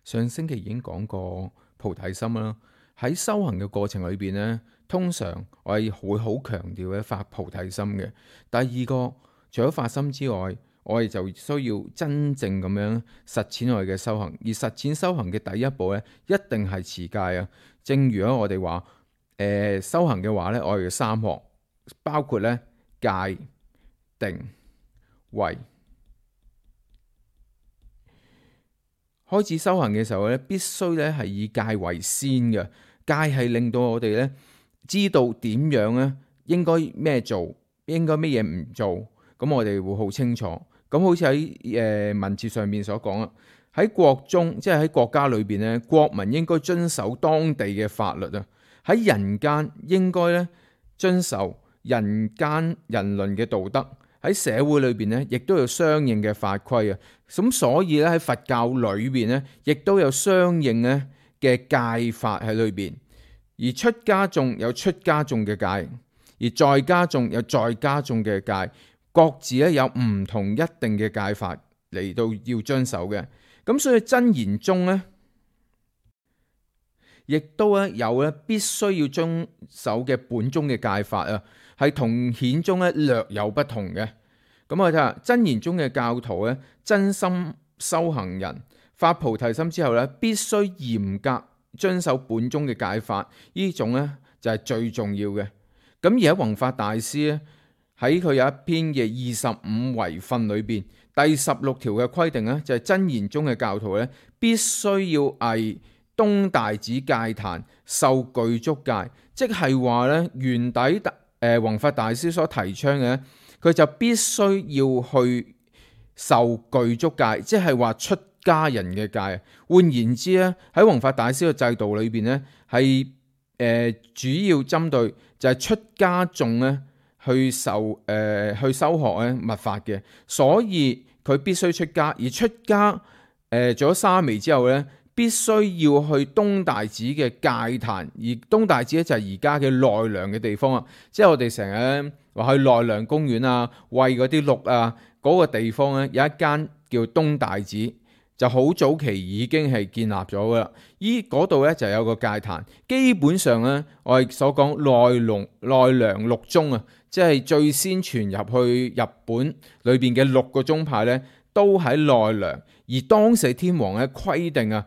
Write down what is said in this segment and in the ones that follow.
上星期已經講過菩提心啦。喺修行嘅過程裏邊呢，通常我係會好強調嘅發菩提心嘅。第二個，除咗發心之外，我哋就需要真正咁樣實踐我哋嘅修行。而實踐修行嘅第一步呢，一定係持戒啊。正如我哋話，修行嘅話呢，我哋嘅三學包括呢戒、定、慧。開始修行嘅時候咧，必須咧係以戒為先嘅。戒係令到我哋咧知道點樣咧應該咩做，應該咩嘢唔做。咁我哋會好清楚。咁好似喺文字上面所講啊，喺國中即係喺國家裏邊咧，國民應該遵守當地嘅法律啊。喺人間應該咧遵守人間人倫嘅道德。喺社會裏邊咧，亦都有相應嘅法規啊。咁所以咧喺佛教裏邊咧，亦都有相應咧嘅戒法喺裏邊。而出家眾有出家眾嘅戒，而在家眾有在家眾嘅戒，各自咧有唔同一定嘅戒法嚟到要遵守嘅。咁所以真言宗咧，亦都咧有咧必須要遵守嘅本宗嘅戒法啊。係同顯宗咧略有不同嘅。咁我睇下真言宗嘅教徒咧，真心修行人發菩提心之後咧，必須嚴格遵守本宗嘅戒法，呢種咧就係最重要嘅。咁而喺弘法大師咧喺佢有一篇嘅25遺訓裏邊，第16條嘅規定咧就係真言宗嘅教徒咧必須要詣東大寺戒壇受具足戒，即係話咧原底弘法大師所提倡嘅，佢就必須要去受具足戒，即係話出家人嘅戒。換言之咧，喺弘法大師嘅制度裏邊咧，係主要針對就係出家眾咧去修學咧密法嘅，所以佢必須出家。而出家做咗沙彌之後咧，必須要去東大寺嘅戒壇，而東大寺咧就係而家嘅奈良嘅地方啊，即係我哋成日話去奈良公園啊，餵嗰啲鹿啊，嗰個地方咧有一間叫東大寺，就好早期已經係建立咗噶啦。依嗰度咧就有個戒壇，基本上咧我哋所講奈良六宗啊，即係最先傳入去日本裏邊嘅6個宗派咧，都喺奈良。而當時天皇咧規定啊，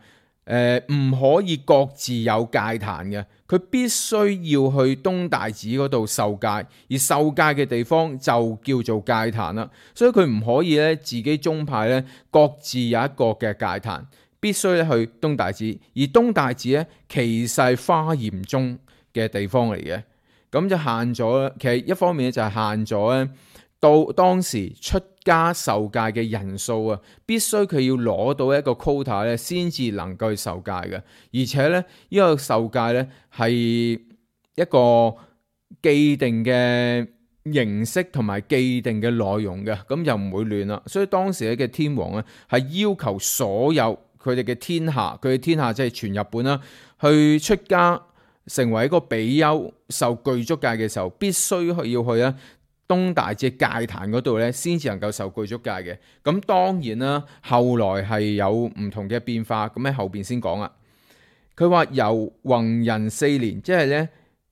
唔可以各自有戒壇嘅，佢必須要去東大寺嗰度受戒，而受戒嘅地方就叫做戒壇啦。所以佢唔可以咧自己宗派咧各自有一個嘅戒壇，必須咧去東大寺。而東大寺咧其實係華嚴宗嘅地方嚟嘅，咁就限咗。其實一方面就係限咗咧，到當時出家受戒嘅人數啊，必須佢要攞到一個 quota 咧，先至能夠去受戒嘅。而且咧，呢個受戒咧係一個既定嘅形式同埋既定嘅內容嘅，咁就唔會亂啦。所以當時嘅天皇咧係要求所有佢哋嘅天下，佢嘅天下即係全日本啦，去出家成為一個比丘受具足戒嘅時候，必須要去咧東大寺戒壇嗰度咧，先至能夠受具足戒嘅。咁當然啦，後來係有唔同嘅變化，咁喺後邊先講啦。佢話由弘仁4年，即係咧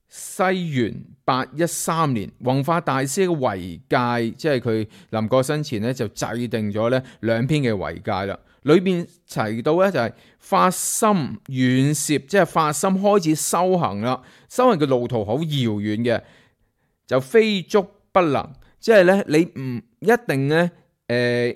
西元813年，弘法大師嘅遺戒，即係佢臨過身前咧就制定咗咧2篇嘅遺戒啦。裏邊提到咧就係發心遠攝，即係發心開始修行啦。修行嘅路途好遙遠嘅，就非足不能，即係咧你唔一定咧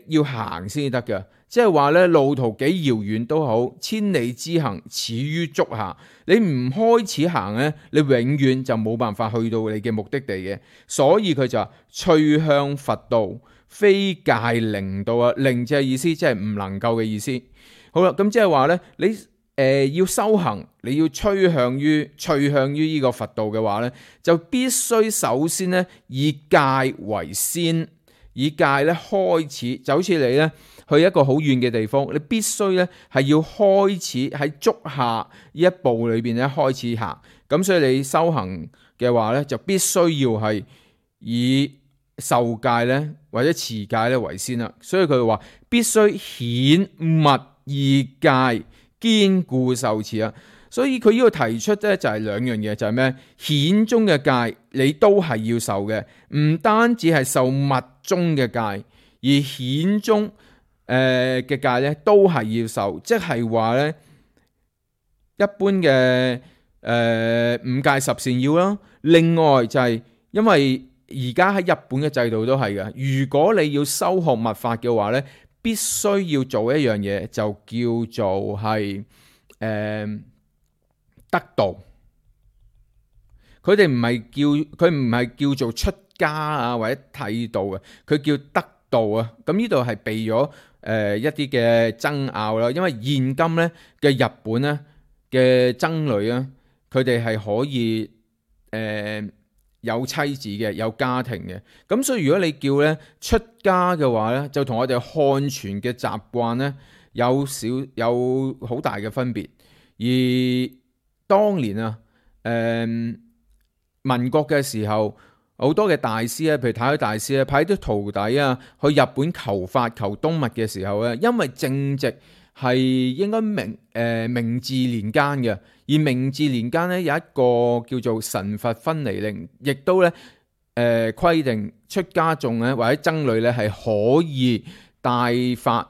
要行先得嘅，即係話咧路途幾遙遠都好，千里之行始於足下。你唔開始行咧，你永遠就冇辦法去到你嘅目的地嘅。所以佢就話趣向佛道，非戒靈道啊。靈就係意思，即係唔能夠嘅意思。好啦，咁即係話咧你要修行，你要趨向於呢個佛道嘅話咧，就必須首先咧以戒為先，以戒咧開始，就好似你咧去一個好遠嘅地方，你必須咧係要開始喺足下呢一步裏邊咧開始行。咁所以你修行嘅話咧，就必須要係以受戒咧或者持戒咧為先啦。所以佢話必須顯密二戒，堅固受持啊。所以佢呢度提出咧就係兩樣嘢，就係咩？顯宗嘅戒你都係要受嘅，唔單止係受密宗嘅戒，而顯宗嘅戒咧都係要受，即係話咧一般嘅五戒十善要啦。另外就係因為而家喺日本嘅制度都係嘅，如果你要修學密法嘅話咧，必須要做一樣嘢，就叫做係得道。佢哋唔係叫做出家啊或者剃度啊，佢叫得道啊。咁呢度係避咗一啲嘅爭拗啦，因為現今咧嘅日本咧嘅僧侶啊，佢哋係可以有妻子嘅，有家庭嘅。咁所以如果你叫咧出家嘅話咧，就同我哋漢傳嘅習慣咧有好大嘅分別。而當年啊，民國嘅時候，好多嘅大師咧，譬如太虛大師咧，派啲徒弟啊去日本求法求東密嘅時候咧，因為正值係應該明治年間嘅，而明治年間咧有一個叫做神佛分離令，亦都咧規定出家眾咧或者僧侶咧係可以帶髮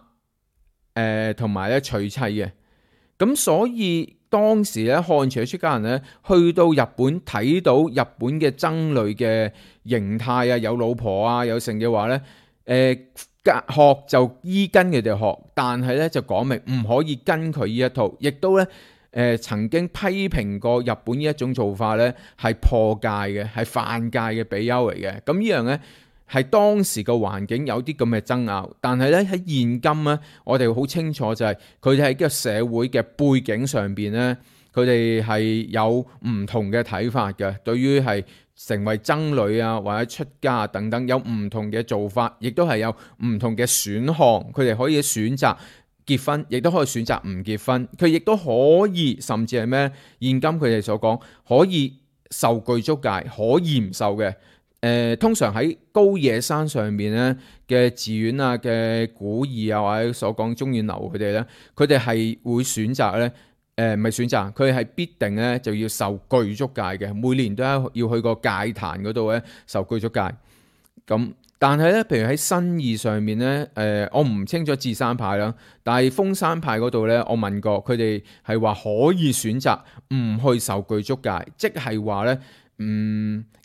同埋咧娶妻嘅。咁所以當時咧漢傳嘅出家人咧去到日本睇到日本嘅僧侶嘅形態啊，有老婆啊有剩嘅話咧，學就依跟佢哋學，但係咧就講明唔可以跟佢呢一套，亦都咧曾經批評過日本呢一種做法咧係破戒嘅，係犯戒嘅比丘嚟嘅。咁呢樣咧係當時個環境有啲咁嘅爭拗，但係咧喺現今咧，我哋好清楚就係佢哋喺個社會嘅背景上邊咧，佢哋係有唔同嘅睇法嘅。對於係成為僧侶啊或者出家等等，有唔同嘅做法，亦都係有唔同嘅選項。佢哋可以選擇結婚，亦都可以選擇唔結婚。佢亦都可以甚至係咩？現今佢哋所講可以受具足戒，可以唔受嘅。通常喺高野山上面咧嘅寺院啊嘅古義啊或者所講中遠流佢哋咧，佢哋係會選擇咧唔係選擇，佢係必定咧就要受具足戒嘅，每年都要去個戒壇嗰度咧受具足戒。咁但係咧，譬如喺新義上面咧，我唔清楚智山派啦，但係豐山派嗰度咧，我問過佢哋係話可以選擇唔去受具足戒，即係話咧。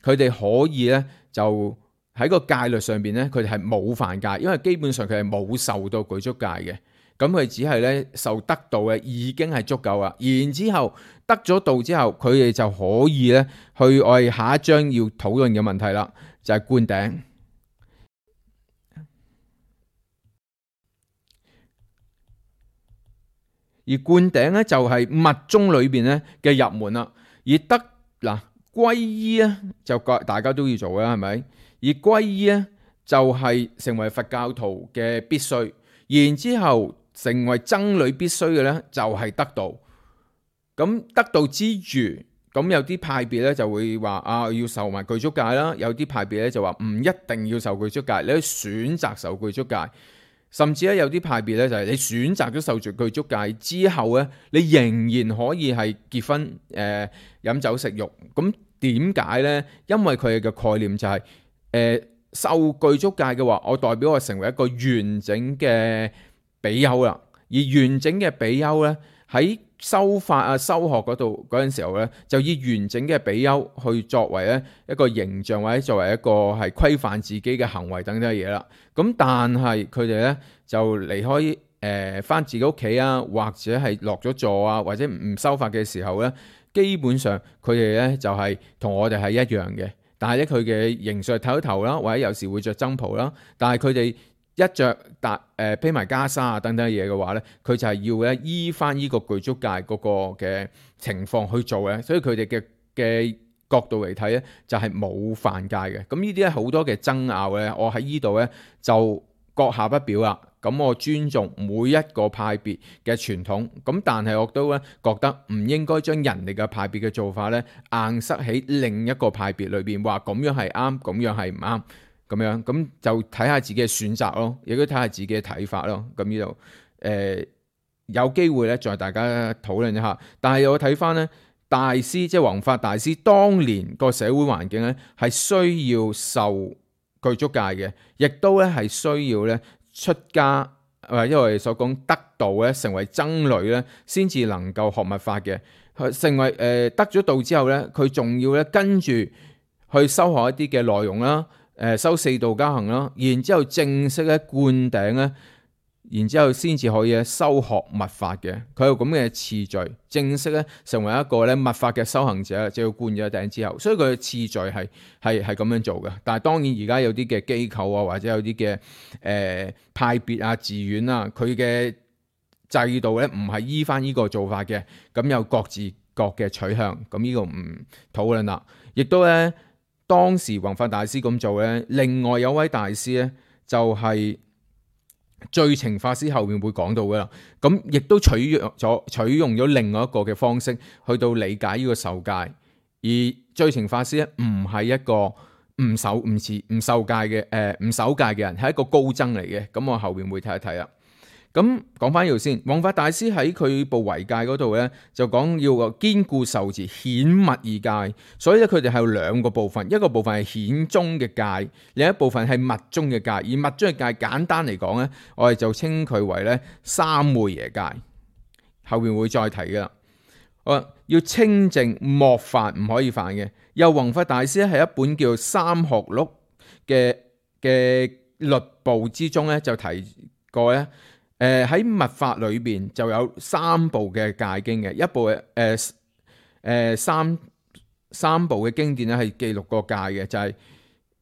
佢哋可以咧就喺個戒律上邊咧，佢哋係冇犯戒，因為基本上佢係冇受到具足戒嘅，咁佢只係咧受得道嘅已經係足夠啦。然之後得咗道之後，佢哋就可以咧去我哋下一章要討論嘅問題啦，就係灌頂。而灌頂咧就係密宗裏邊咧嘅入門啦，而得嗱。皈依咧就大家都要做啦，係咪？而皈依咧就係成為佛教徒嘅必須，然之後成為僧侶必須嘅咧就係得道。咁得道之餘，咁有啲派別咧就會話啊要受埋具足戒啦，有啲派別咧就話唔一定要受具足戒，你可以選擇受具足戒。甚至咧有啲派別咧就係你選擇咗受具足戒之後咧，你仍然可以係結婚飲酒食肉咁。點解呢？因為佢嘅概念就係受具足戒嘅話，我代表我成為一個完整嘅比丘啦。而完整嘅比丘呢，喺修法啊、修學嗰度嗰陣時候呢，就以完整嘅比丘去作為咧一個形象，或者作為一個係規範自己嘅行為等等嘅嘢啦。咁但係佢哋呢，就離開返自己屋企啊，或者係落咗座啊，或者唔修法嘅時候呢。基本上佢哋咧就係同我哋係一樣嘅，但係咧佢嘅形象係剃咗頭啦，或者有時會着僧袍啦。但係佢哋一着披埋袈裟啊等等嘢嘅話咧，佢就係要咧依翻呢個具足戒嗰個嘅情況去做嘅。所以佢哋嘅角度嚟睇咧，就係冇犯戒嘅。咁呢啲咧好多嘅爭拗咧，我喺呢度咧就閣下不表啦。咁我尊重每一個派別嘅傳統，咁但係我都咧覺得唔應該將人哋嘅派別嘅做法咧硬塞喺另一個派別裏邊，話咁樣係啱，咁樣係唔啱，咁樣咁就睇下自己嘅選擇咯，亦都睇下自己嘅睇法咯。咁呢度有機會咧再大家討論一下。但係我睇翻咧，大師即係弘法大師當年個社會環境咧係需要受具足戒嘅，亦都咧係需要咧出家，因為我哋所講得道咧成為僧侶咧，先至能夠學密法嘅。成為得咗道之後咧，佢仲要咧跟住去修學一啲嘅內容啦，修四道加行啦，然之後正式咧灌頂咧，然之後先至可以咧修學密法嘅。佢有咁嘅次序，正式咧成為一個咧密法嘅修行者，就要灌咗頂之後，所以佢嘅次序係咁樣做嘅。但係當然而家有啲嘅機構啊，或者有啲嘅派別啊、寺院啊，佢嘅制度咧唔係依翻呢個做法嘅，咁有各自各嘅取向，咁呢個唔討論啦。亦都咧當時弘法大師咁做咧，另外有位大師咧就係最澄法師，後面會講到噶啦。咁亦都取用咗另外一個嘅方式去到理解呢個受戒，而最澄法師咧唔係一個唔受戒嘅人，係一個高僧嚟嘅。咁我後面會睇一睇啦。咁講翻呢度先，弘法大師喺佢部遺戒嗰度咧，就講要個堅固受持顯密二戒，所以咧佢哋係有兩個部分，一個部分係顯宗嘅戒，另一部分係密宗嘅戒。而密宗嘅戒簡單嚟講咧，我哋就稱佢為咧三昧耶戒，後面會再提噶啦。要清淨莫犯，唔可以犯嘅。又弘法大師係一本叫《三學錄》嘅律部之中咧，就提過咧。喺密法裏邊就有三部嘅戒經嘅，一部三部嘅經典咧係記錄過戒嘅，就係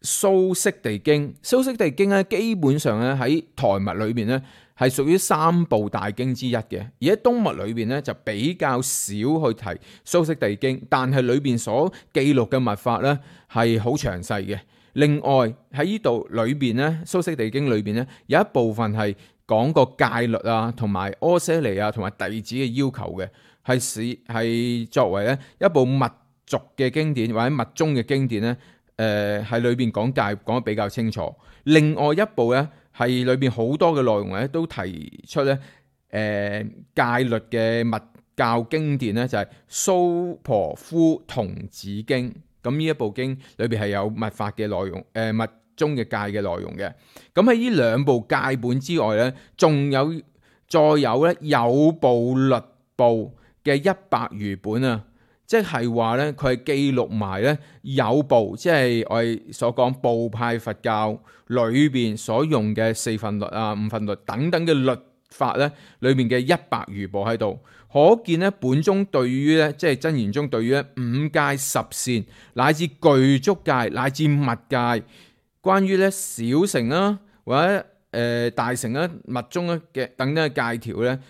蘇悉地經。蘇悉地經咧基本上咧喺台密裏邊咧係屬於三部大經之一嘅，而喺東密裏邊咧就比較少去提蘇悉地經，但係裏邊所記錄嘅密法咧係好詳細嘅。另外喺呢度裏邊咧，蘇悉地經裏邊咧有一部分係講個戒律啊，同埋阿闍黎啊，同埋弟子嘅要求嘅，係作為咧一部密續嘅經典或者密宗嘅經典咧，喺裏邊講戒講得比較清楚。另外一部咧係裏邊好多嘅內容咧都提出咧，戒律嘅密教經典咧就係蘇婆夫童子經。咁呢一部經裏邊係有密法嘅內容，密宗嘅戒嘅內容嘅。咁喺呢兩部戒本之外咧，仲有再有咧有部律部嘅100餘本啊，即係話咧佢係記錄埋咧有部，即係我哋所講部派佛教裏邊所用嘅四分律啊、五分律等等嘅律法咧，裏面嘅100餘部喺度。可見咧，本宗對於咧，即係真言宗對於五戒十善乃至具足戒乃至密戒，關於咧小乘啦或者大乘啦、密宗咧嘅等等嘅戒條咧、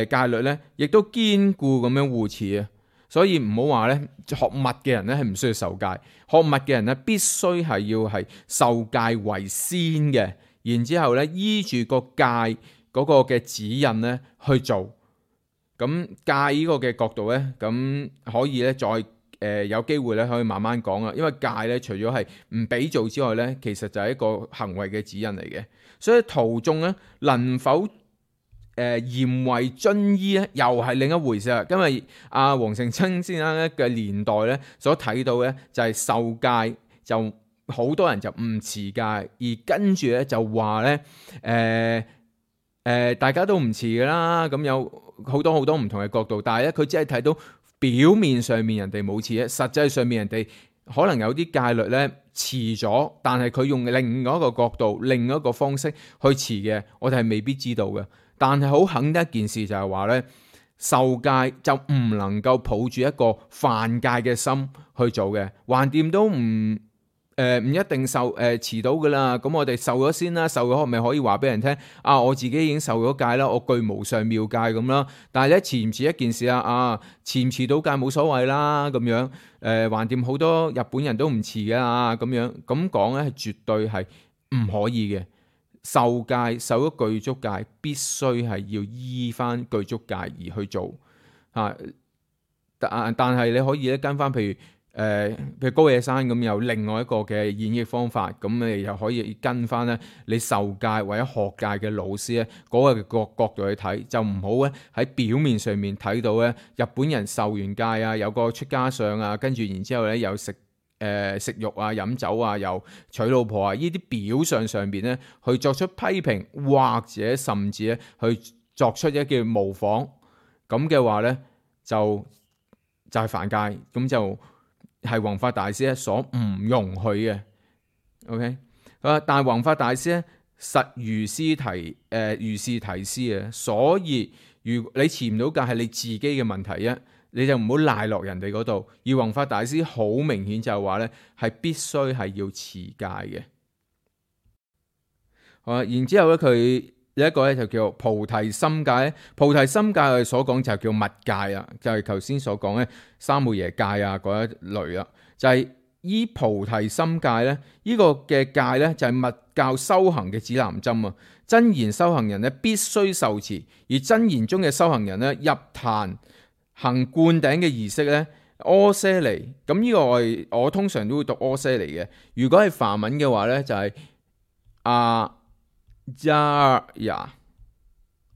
戒律咧，亦都堅固咁樣護持啊。所以唔好話咧，學密嘅人咧係唔需要受戒，學密嘅人咧必須係要係受戒為先嘅，然之後咧依住個戒嗰個嘅指引咧去做。咁戒呢個嘅角度咧，咁可以咧再有機會咧可以慢慢講啊。因為戒咧除咗係唔俾做之外咧，其實就係一個行為嘅指引嚟嘅。所以徒眾咧能否嚴為遵依咧，又係另一回事啊。因為阿黃成清先生咧嘅年代咧所睇到咧就係受戒就好多人就唔持戒，而跟住咧就話咧大家都唔持噶啦，咁有好多唔同嘅角度，但係咧佢只係睇到表面上面人哋冇持，實際上面人哋可能有啲戒律咧持咗，但係佢用另外一個角度、另外一個方式去持嘅，我哋係未必知道嘅。但係好肯定一件事就係話咧，受戒就唔能夠抱住一個犯戒嘅心去做嘅，橫掂都唔一定持到噶啦。咁我哋受咗先啦，受咗咪可以話俾人聽啊，我自己已經受咗戒啦，我具無上妙戒咁啦。但係咧持唔持一件事啊，持唔持到戒冇所謂啦咁樣。橫掂好多日本人都唔持噶咁樣，咁講咧係絕對係唔可以嘅。受戒受咗具足戒，必須係要依翻具足戒而去做啊。但係你可以咧跟翻，譬如譬如高野山咁有另外一個嘅演繹方法，咁你又可以跟翻咧你受戒或者學戒嘅老師咧嗰個角度去睇，就唔好咧喺表面上面睇到咧日本人受完戒啊，有個出家相啊，跟住然之後咧又食肉啊、飲酒啊、又娶老婆啊，呢啲表象上邊咧去作出批評，或者甚至咧去作出一叫模仿，咁嘅話咧就係犯戒，咁就係弘法大師咧所唔容許嘅。OK， 但係弘法大師咧實如是提示啊，所以如果你持唔到戒係你自己嘅問題啊，你就唔好賴落人哋嗰度。而弘法大師好明顯就係話咧係必須係要持戒嘅。好，然之後咧佢有一個咧就叫菩提心戒。菩提心戒我哋所講就叫密戒啊，就係頭先所講咧三昧耶戒啊嗰一類啦。就係依菩提心戒咧，呢個嘅戒咧就係密教修行嘅指南針啊。真言修行人咧必須受持，而真言中嘅修行人咧入壇行灌頂嘅儀式咧，阿闍梨。咁呢個我通常都會讀阿闍梨嘅。如果係梵文嘅話咧，就係阿扎呀。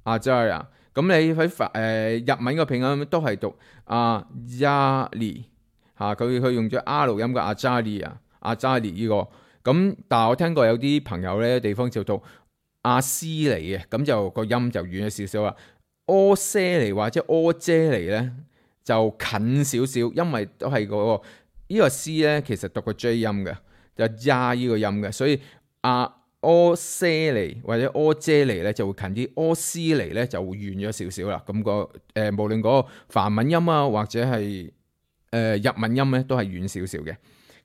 咁你喺日文嘅拼音都係讀阿扎利嚇，佢用咗 R 音嘅阿扎利啊，阿扎利呢個。咁但係我聽過有啲朋友咧地方就讀阿斯尼嘅，咁就個音就遠咗少少啦。阿闍梨或者阿闍梨咧就近少少，因為都係嗰個呢個 C 咧其實讀個 J 音嘅，就呀呢個音嘅，所以阿闍梨或者阿闍梨咧就會近啲，阿斯尼咧就會遠咗少少啦。咁無論嗰個梵文音啊或者係日文音咧都係遠少少嘅。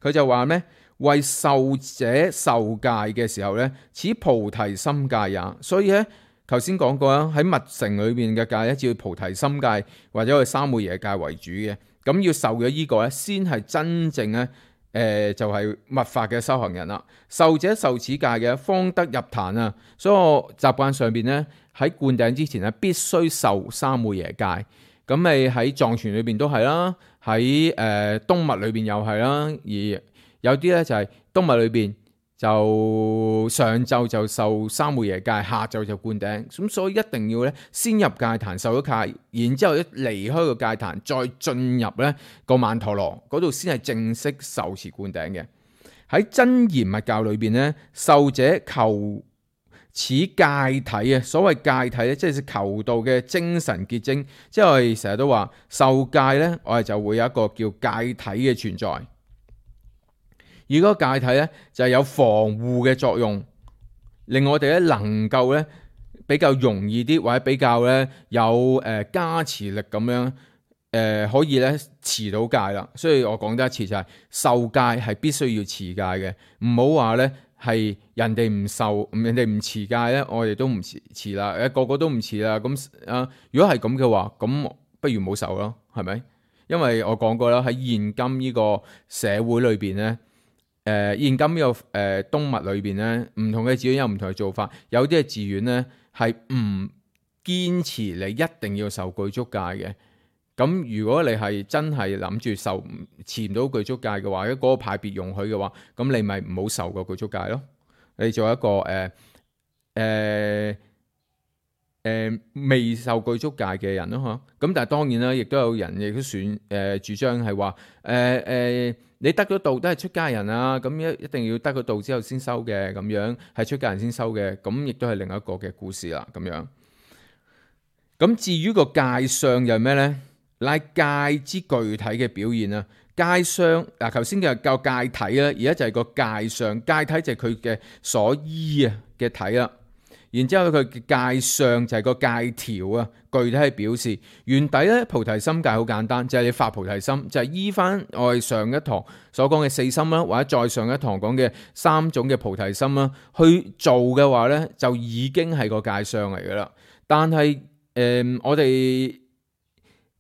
佢就話咩？為受者受戒嘅時候咧，此菩提心戒也。所以咧，頭先講過啦，喺密乘裏邊嘅戒咧，只要菩提心戒或者係三昧耶戒為主嘅。咁要受咗呢個咧，先係真正咧，就係密法嘅修行人啦。受者受此戒嘅，方得入壇啊。所以我習慣上邊咧，喺灌頂之前咧，必須受三昧耶戒。咁你喺藏傳裏邊都係啦，喺冬密裏邊又係啦，而有啲咧就係冬密裏邊就上晝就受三昧耶戒，下晝就灌頂。咁所以一定要咧先入戒壇受咗戒，然之後一離開個戒壇，再進入咧個曼陀羅嗰度先係正式受持灌頂嘅。喺真言密教裏邊咧，受者求此戒體啊，所謂戒體咧，即係求道嘅精神結晶。即係我哋成日都話受戒咧，我哋就會有一個叫戒體嘅存在。而嗰個戒體咧就係有防護嘅作用，令我哋咧能夠咧比較容易啲，或者比較咧有加持力咁樣可以咧持到戒啦。所以我講得一次就係受戒係必須要持戒嘅，唔好話咧係人哋唔受，人哋唔持戒咧，我哋都唔持啦，個個都唔持啦。咁如果係咁嘅話，咁不如冇受咯，係咪？因為我講過啦，喺現今呢個社會裏邊咧。現今呢個冬密裏邊咧，唔同嘅寺院有唔同嘅做法。有啲嘅寺院咧係唔堅持你一定要受具足戒嘅。咁如果你係真係諗住持唔到具足戒嘅話，如果嗰個派別容許嘅話，咁你咪唔好受個具足戒咯。你做一個未受具足戒嘅人咯，咁但係當然啦，亦都有人亦都主張係話你得咗道都係出家人啊，咁一定要得咗道之後先收嘅，咁樣係出家人先收嘅，咁亦都係另一個嘅故事啦，咁樣。咁至於個戒相又係咩咧？乃戒之具體嘅表現啊，戒相嗱，頭先嘅教戒體啦，而家就係個戒相，戒體就係佢嘅所依啊嘅體啦。然之後佢嘅戒相就係個戒條啊，具體係表示原底咧菩提心戒好簡單，就係你發菩提心，就係依翻我哋上一堂所講嘅四心啦，或者再上一堂講嘅三種嘅菩提心啦，去做嘅話咧，就已經係個戒相嚟噶啦。但係我哋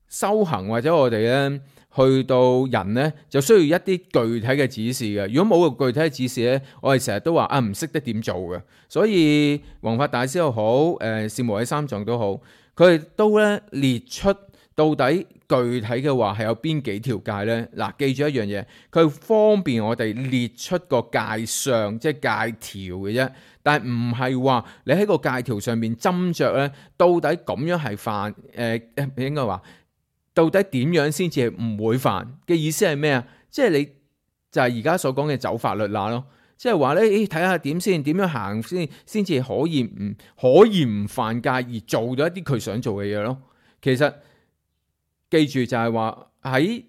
修行或者我哋咧去到人咧，就需要一啲具體嘅指示嘅。如果冇個具體嘅指示咧，我哋成日都話唔識得點做嘅。所以弘法大師又好，善無畏三藏都好，佢哋都咧列出到底具體嘅話係有邊幾條界呢？嗱，記住一樣嘢，佢方便我哋列出個界上，即係界條嘅啫。但係唔係話你喺個界條上面斟酌呢，到底咁樣係犯應該話到底點樣先至係唔會犯嘅意思係咩啊？即係你就係而家所講嘅走法律罅咯。即係話咧，睇下點先，點樣行先至可以唔犯戒而做到一啲佢想做嘅嘢咯。其實記住就係話喺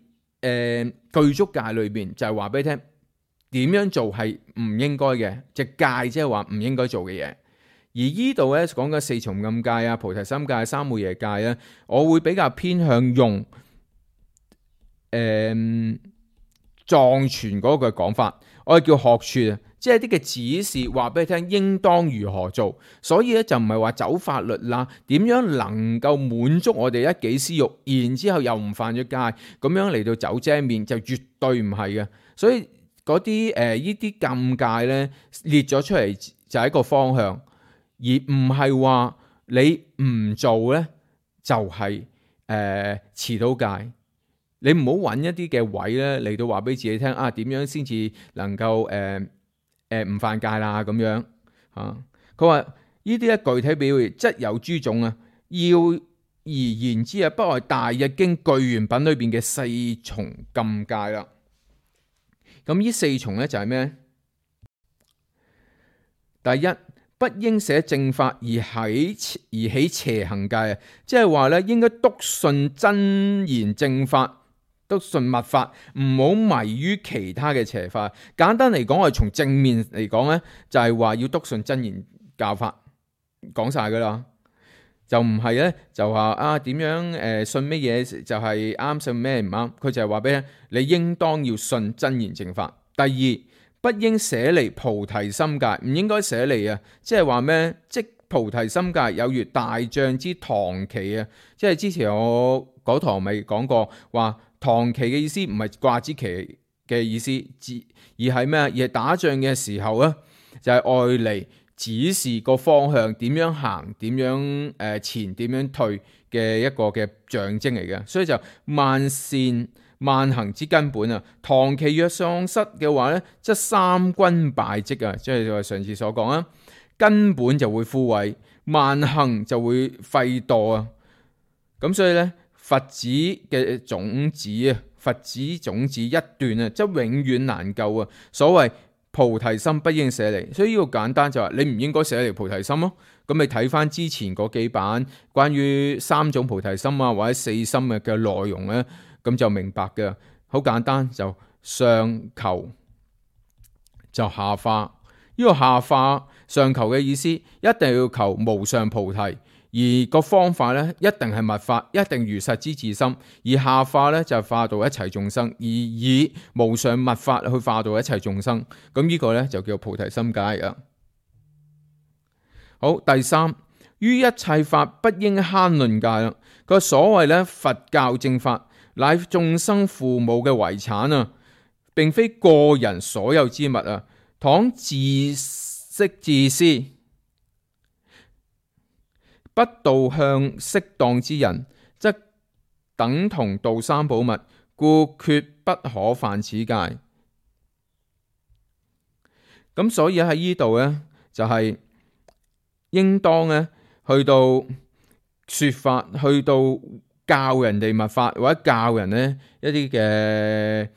具足戒裏邊就係話俾你聽點樣做係唔應該嘅，隻戒即係話唔應該做嘅嘢。而依度咧講嘅四重暗戒啊、菩提心戒、三昧耶戒咧，我會比較偏向用藏傳嗰個講法。我哋叫學處啊，即係啲嘅指示話俾你聽應當如何做，所以咧就唔係話走法律啦，點樣能夠滿足我哋一己私欲，然之後又唔犯咗戒，咁樣嚟到走遮面就絕對唔係嘅。所以嗰啲呢啲禁戒咧列咗出嚟就係一個方向，而唔係話你唔做咧就係遲到戒。你唔好揾一啲嘅位咧嚟到話俾自己聽啊，點樣先至能夠唔犯戒啦咁樣啊？佢話呢啲咧具體表現則有諸種啊，要而言之啊，不外大日經具緣品裏邊嘅四重禁戒啦。咁呢四重咧就係咩？第一，不應捨正法而起邪行戒啊，即係話咧應該篤信真言正法。篤信密法，唔好迷於其他嘅邪法。簡單嚟講，我哋從正面嚟講咧，就係話要篤信真言教法，講晒噶啦，就唔係咧就話啊點樣信乜嘢就係啱，信咩唔啱。佢就係話俾你應當要信真言正法。第二，不應捨離菩提心戒，唔應該捨離啊，即係話咩？即菩提心戒有如大象之唐旗啊，即係之前我嗰堂咪講過話。唐旗嘅意思唔係掛支旗嘅意思，而係咩？而係打仗嘅時候咧，就係愛嚟指示個方向，點樣行，點樣前，點樣退嘅一個嘅象徵嚟嘅。所以就萬善萬行之根本啊！唐旗若喪失嘅話咧，即係三軍敗績啊！即係我上次所講啊，根本就會枯萎，萬行就會廢墮啊！咁所以咧。佛子嘅種子啊，佛子種子一段啊，即永遠難救啊！所謂菩提心不應捨離，所以呢個簡單就話你唔應該捨離菩提心咯。咁你睇翻之前嗰幾版關於三種菩提心啊或者四心嘅內容咧，咁就明白嘅。好簡單，就上求就下化。呢個下化上求嘅意思，一定要求無上菩提。而個方法咧，一定係密法，一定如實之自心。而下化咧就化度一切眾生，而以無上密法去化度一切眾生。咁呢個咧就叫菩提心戒啊。好，第三，於一切法不應慳吝戒啦。個所謂咧佛教正法，乃眾生父母嘅遺產啊，並非個人所有之物啊。倘自識自私，不導向適當之人，則等同盜三寶物，故決不可犯此戒。咁所以喺呢度咧，就係應當咧去到說法，去到教人哋密法，或者教人咧一啲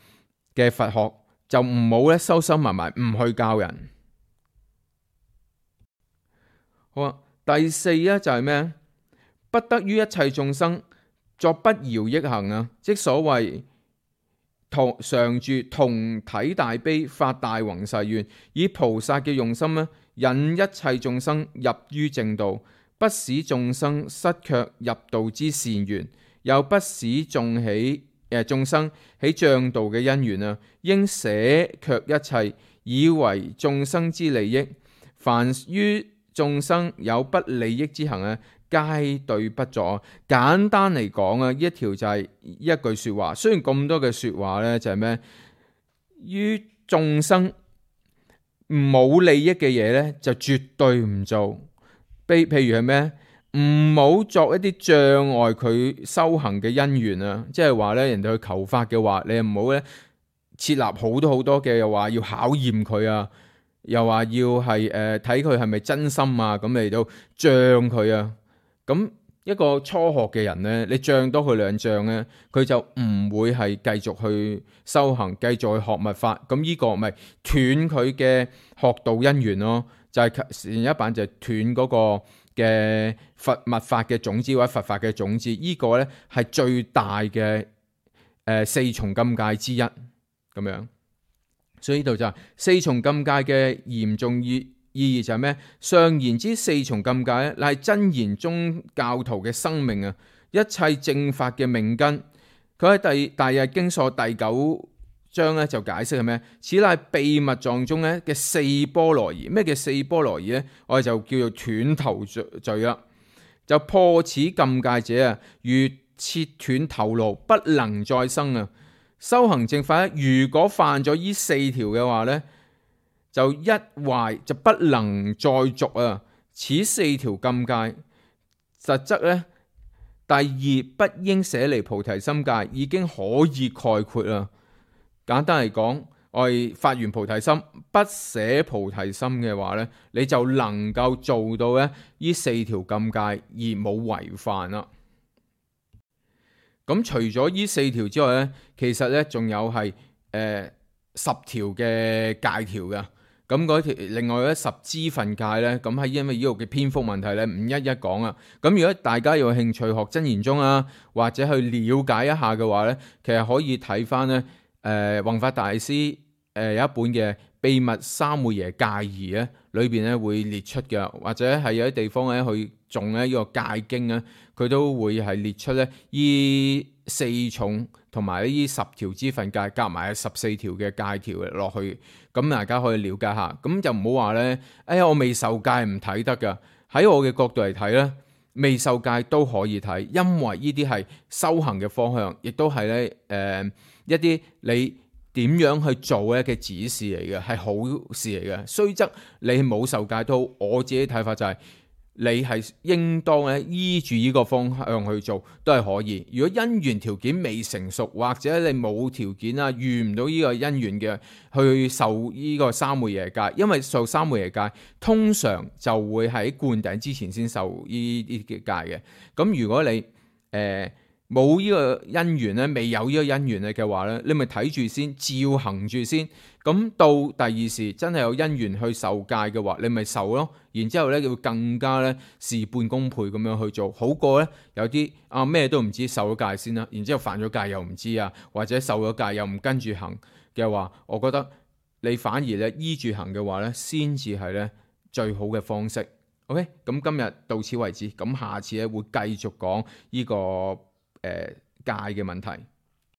嘅佛學，就唔好咧收收埋埋，唔去教人。好啊。第四咧就係咩？不得於一切眾生作不饒益行啊！即所謂常住同體大悲，發大宏誓願，以菩薩嘅用心咧，引一切眾生入於正道，不使眾生失卻入道之善緣，又不使眾生起障道嘅因緣啊！應捨卻一切，以為眾生之利益。凡於眾生有不利益之行啊，皆對不作。簡單嚟講啊，呢一條就係一句說話。雖然咁多嘅說話呢，就係咩？於眾生冇利益嘅嘢呢，就絕對唔做。譬如係咩？唔好作一啲障礙佢修行嘅因緣啊！即係話咧，人哋去求法嘅話，你唔好咧設立好多好多嘅，又話要考驗佢啊，又話要係睇佢係咪真心啊，咁嚟到障佢啊。咁一個初學嘅人咧，你障多佢2障咧，佢就唔會係繼續去修行，繼續去學密法。咁呢個咪斷佢嘅學道因緣咯，就係前一版就係斷嗰個嘅佛密法嘅種子或者佛法嘅種子，呢個咧係最大嘅4重禁戒之一咁樣。所以呢度就係4重禁戒嘅嚴重意義就係咩？上言之4重禁戒咧，乃係真言宗教徒嘅生命啊，一切正法嘅命根。佢喺大日經疏第9章咧就解釋係咩？此乃秘密藏中咧嘅4波羅夷。咩叫4波羅夷咧？我哋就叫做斷頭罪啦。就破此禁戒者啊，如切斷頭顱，不能再生啊！修行正法咧，如果犯咗呢4條嘅話咧，就一壞就不能再續啊！此4條禁戒，實則咧第2不應捨離菩提心戒已經可以概括啦。簡單嚟講，我哋發完菩提心，不捨菩提心嘅話咧，你就能夠做到咧呢4條禁戒而冇違犯啦。咁除咗呢4條之外咧，其實咧仲有係10條嘅戒條嘅。咁嗰條另外咧10支分戒咧，咁係因為呢度嘅篇幅問題咧，唔一一講啊。咁如果大家有興趣學真言宗啊，或者去了解一下嘅話咧，其實可以睇翻咧弘法大師有一本嘅《秘密三昧耶戒儀》咧，裏邊咧會列出嘅，或者係有啲地方咧去誦咧呢個戒經咧，佢都會係列出咧呢4重同埋呢10條支分戒，夾埋14條嘅戒條落去，咁大家可以了解下。咁就唔好話咧，哎呀我未受戒唔睇得噶。喺我嘅角度嚟睇咧，未受戒都可以睇，因為呢啲係修行嘅方向，亦都係咧一啲你點樣去做咧嘅指示嚟嘅，係好事嚟嘅。雖則你冇受戒都好，我自己睇法就係你係應當咧依住呢個方向去做都係可以。如果因緣條件未成熟，或者你冇條件啊，遇唔到呢個因緣嘅去受呢個三昧耶戒，因為受三昧耶戒通常就會喺灌頂之前先受呢啲嘅戒嘅。咁如果你冇呢個因緣咧，未有呢個因緣嘅話咧，你咪睇住先，照行住先。咁到第2時真係有因緣去受戒嘅話，你咪受咯。然之後咧，會更加咧事半功倍咁樣去做，好過咧有啲咩都唔知，受咗戒先啦。然之後犯咗戒又唔知啊，或者受咗戒又唔跟住行嘅話，我覺得你反而咧依住行嘅話咧，先至係咧最好嘅方式。OK， 咁今日到此為止，咁下次咧會繼續講呢個戒嘅問題。